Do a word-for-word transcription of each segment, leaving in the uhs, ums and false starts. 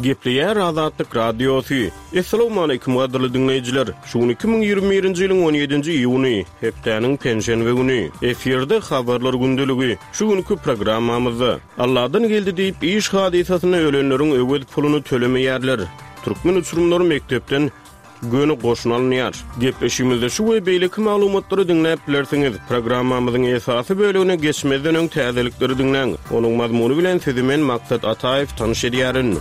Gepleýär Azatlyk Radiosy. Essalawmaleýkim gadyrly diňleýjiler. Şu gün iki müň ýigrimi birinji ýylyň on ýedinji iýuny, hepdäniň penşenbe güni. Efirde Habarlar gündeligi. Şu günki programmamyzda, Alladan geldi diýip iş hadysasynda ölenleriň öwez puluny tölemeýärler. Türkmen uçurymlary mekdepden göni goşuna alynýar. Gepleşigimizde şu we beýleki maglumatlary diňläp bilersiňiz. Programmamyzyň esasy bölegine geçmezden öň täzelikleri diňläň. Onuň mazmuny bilen sizi men Maksat Ataýew tanyş edýärin.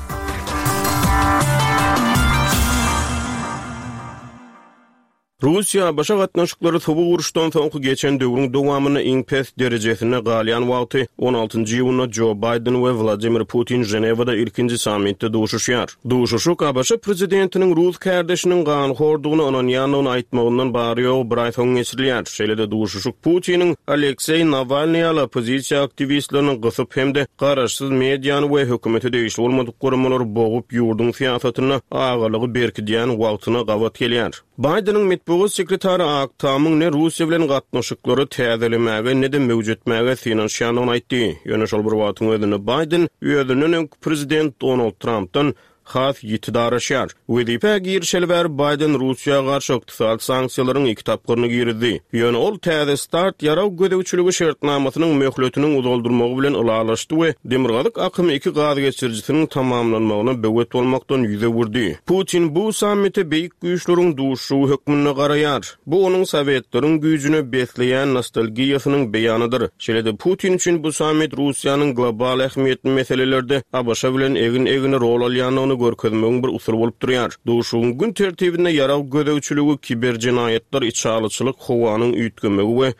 Russiýa-ABŞ gatnaşyklary sowuk uruşdan soňky geçen döwrüň dowamynda iň pes derejesinde galýan wagty on altynjy iýunda Jo Baýden we Wladimir Putin Ženewada ilkinji sammitde duşuşýar. Duşuşyk ABŞ prezidentiniň rus kärdeşiniň ganhordugyna ynanýandygyny aýtmagyndan bary-ýogy bir aý soň geçirilýär. Şeýle-de duşuşyk Putiniň Alekseý Nawalnyý ýaly oppozisiýa aktiwistlerini gysyp hem-de garaşsyz mediany we hökümete degişli bolmadyk guramalary bogup ýurduň syýasatynda agalygy berkidýän wagtyna gabat gelýär. Baýdeniň metbugat sekretary Ak Tamyň ne Russiýa bilen gatnaşyklary täzelemäge, ne-de möwjetmäge synanyşýandygyny aýtdy. Ýöne şol bir wagtyň özünde Baýden özünden öňki prezident Donald Trampdan has ýiti daraşýar. Wezipä girişeli bäri Baýden Russiýa garşy ykdysady sanksiýalaryň iki tapgyryny girizdi. Ýöne ol täze start ýarag gözegçiligi şertnamasynyň möhletiniň uzaldyrmagy bilen ylalaşdy we Demirgazyk akymy iki gaz geçirijisiniň tamamlanmagyna böwet bolmakdan ýüz öwürdi. Putin bu sammite beýik güýçleriň duşuşygy hökmünde garaýar. Bu onuň sowetleriň güýjüne besleýän nostalgiýasynyň beýanydyr. Şeýle-de Putin üçin bu sammit Russiýanyň global ähmiýetli meselelerde ABŞ bilen egin-egine rol alýandygyny görkezmegiň bir usuly bolup durýar. Duşuşygyň gün tertibinde ýarag gözegçiligi, kiberjenaýatlar, içalyçylyk, howanyň üýtgemegi we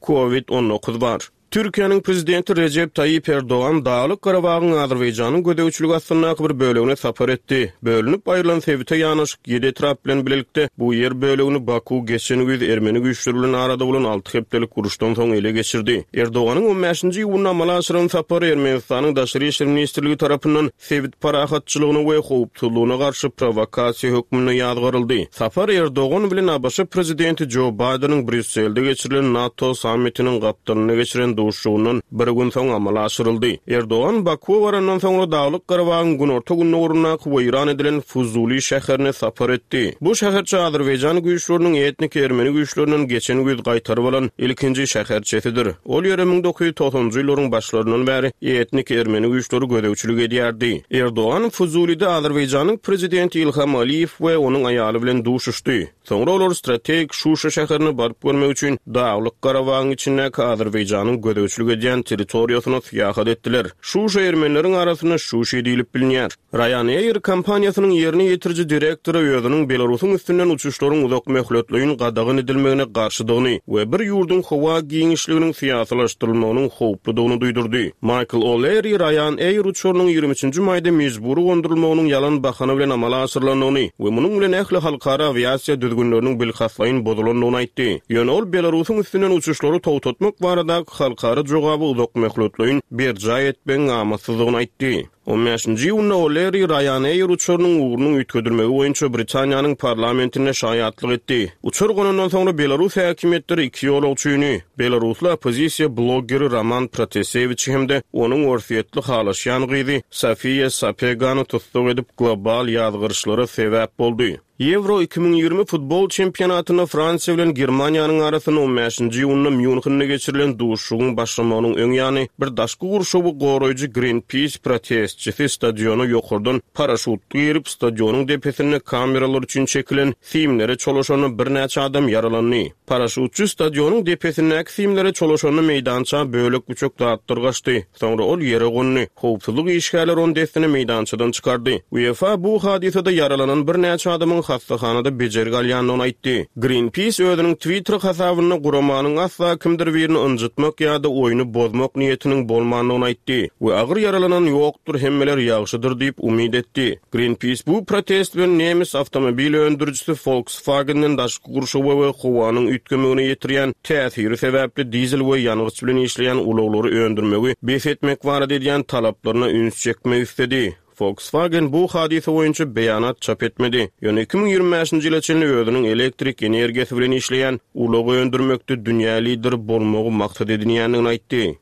COVID on dokuz bar. Türkiýäniň prezidenti Rejep Taýyp Erdogan Daglyk Garabagyň Azerbaýjanyň gözegçiligi astyndaky bir bölegine sapar etdi. Bölünip aýrylan sebite ýanaşyk ýedi etrap bilen bilelikde bu ýer bölegini Baku geçen güýz ermeni güýçleri bilen arada bolan alty hepdelik uruşdan soň ele geçirdi. Erdoganyň on bäşinji iýunda amala aşyran sapary Ermenistanyň Daşary işler ministrligi tarapyndan sebit parahatçylygyna we howpsuzlygyna garşy prowokasiýa hökmünde ýazgaryldy. Sapar Erdogan bilen ABŞ prezidenti Jo Baýdeniň Brýusselde geçirilen NATO sammitiniň gapdalynda geçiren duşuşygyndan bir gün soň amala aşyryldy. Erdogan Bakuwa barandan soňra Daglyk Garabagyň günorta gündogaryndaky weýran edilen Fuzuli şäherine sapar etdi. Bu şäherçe Azerbaýjan güýçleriniň etnik ermeni güýçlerinden geçen güýz gaýtaryp alan ilkinji şäherçesidir. Ol ýere müň dokuz ýüz togsanjy ýyllaryň başlaryndan bäri etnik ermeni güýçleri gözegçilik edýärdi. Erdogan Fuzulide Azerbaýjanyň prezidenti Ilham Aliýew we onuň aýaly bilen duşuşdy. Soňra olar strategik Şuşa şäherine baryp görmek üçin Daglyk Garabagyň içindäki Azerbaýjanyň gözegçilik edýän territoriýasyna syýahat etdiler. Şuşa ermenileriň arasynda Şuşi diýlip bilinýär. Ryanair kompaniýasynyň ýerine ýetiriji direktory özüniň Belarusyň üstünden uçuşlaryň uzak möhletleýin gadagan edilmegine garşydygyny we bir ýurduň howa giňişliginiň syýasylaşdyrylmagynyň howpludygyny duýdurdy. Michael O'Leary Ryanair uçarynyň ýigrimi üçünji maýda mejbury gondurylmagynyň ýalan bahana bilen amala aşyrylandygyny we munuň bilen ähli halkara awiasiýa düzgünleriniň bilkastlaýyn bozulandygyny aýtdy. Ýöne ol Belarusyň üstünden uçuşlary togtatmak baradaky halkara jogaby uzak möhletleýin berjaý etmegiň amatsyzdygyny aýtdy. On bäşinji iýunda O'Leary Ryanair uçarynyň ugrunyň üýtgedilmegi boýunça Britaniýanyň parlamentinde şaýatlyk etdi. Uçar gonandan soňra Belarus häkimiýetleri iki ýolagçyny, belarusly oppozisiýa bloggeri Roman Protasewiçi hem-de onuň orsýetli halaşýan gyzy Sofiýa Sapegany tussag edip global ýazgyryşlara sebäp boldy. Ýewro iki müň ýigrimi futbol çempionatynda Fransiýa bilen Germaniýanyň arasynda on bäşinji iýunda Mýunhende geçirilen duşuşygyň başlamagynyň öň ýany bir daşky gurşawy goraýjy Greenpeace protestçisi stadiona ýokardan paraşutly girip, stadionyň depesinde kameralar üçin çekilen simlere çolaşanda birnäçe adam ýaralandy. Paraşutçy stadionyň depesindäki simlere çolaşanda meýdança bölek-büçek zatlar gaçdy. Soňra ol ýere gondy. Howpsuzlyk işgärleri ony dessine meýdançadan çykardy. UEFA bu hadysada ýaralanan birnäçe adamyň hastahanada bejergi alýandygyny aýtdy. Greenpeace özüniň Twitter hasabynda guramanyň asla kimdir birini ynjytmak ýa-da oýny bozmak niýetiniň bolmandygyny aýtdy we agyr ýaralanan ýokdur, hemmeler ýagşydyr diýip umyt etdi. Greenpeace bu protest bilen nemes awtomobil öndürijisi Volkswagen'den daşky gurşawa we howanyň üýtgemegine ýetirýän täsiri sebäpli dizel we ýangyç bilen işleýän ulaglary öndürmegi bes etmek barada edýän talaplaryna üns çekmek istedi. Volkswagen bu hadysa boýunça beýanat çap etmedi. Ýöne iki müň ýigrimi bäşinji ýyla çenli özüniň elektrik energiýasy bilen işleýän ulag öndürmekde dünýä lideri bolmagy maksat edinýändigini aýtdy.